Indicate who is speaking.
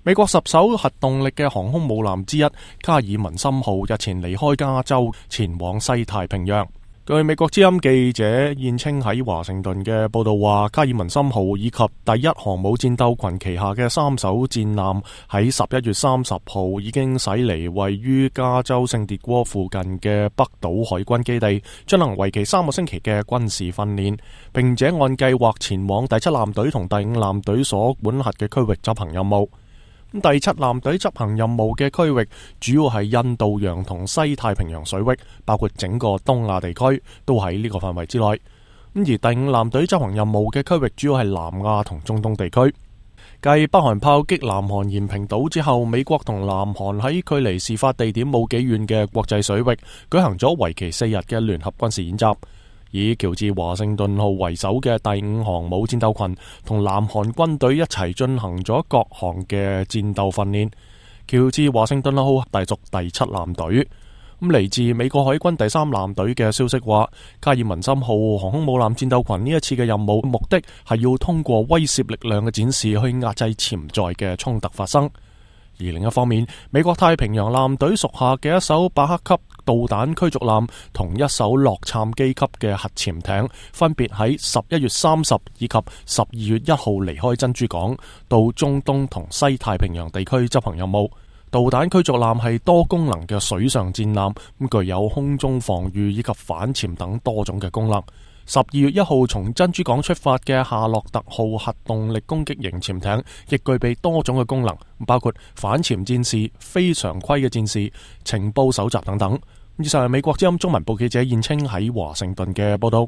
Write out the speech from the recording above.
Speaker 1: 美國10艘核動力嘅航空母艦之一卡爾文森號日前離開加州，前往西太平洋。據美國之音記者燕青喺華盛頓嘅報道話，卡爾文森號以及第一航母戰鬥群旗下嘅3艘戰艦喺11月30號已經駛離位於加州聖迭戈附近嘅北島海軍基地，進行為期3個星期嘅軍事訓練，並且按計劃前往第7艦隊同第5艦隊所管轄嘅區域執行任務。第7艦隊執行任務嘅區域主要係印度洋同西太平洋水域，包括整個東亞地區都喺呢個範圍之內。而第5艦隊執行任務嘅區域主要係南亞同中東地區。繼北韓炮擊南韓延坪島之後，美國同南韓喺距離事發地點冇幾遠嘅國際水域舉行咗為期4日嘅聯合軍事演習。以喬治華盛頓號為首嘅第5航母戰鬥群同南韓軍隊一齊進行咗各項嘅戰鬥訓練。喬治華盛頓號隸屬第7艦隊。嚟自美國海軍第3艦隊嘅消息話，卡爾文森號航空母艦戰鬥群呢一次嘅任務目的係要通過威懾力量嘅展示去壓制潛在嘅衝突發生。而另一方面，美國太平洋艦隊屬下嘅一艘巴克級導彈驅逐艦同一艘洛杉磯級嘅核潛艇，分別喺11月30以及12月1號離開珍珠港，到中東同西太平洋地區執行任務。導彈驅逐艦係多功能嘅水上戰艦，具有空中防禦以及反潛等多種嘅功能。12月1號從珍珠港出發嘅夏洛特號核動力攻擊型潛艇，亦具備多種嘅功能，包括反潛戰士、非常規嘅戰士、情報搜集等等。以上係美國之音中文部記者燕青喺華盛頓嘅報道。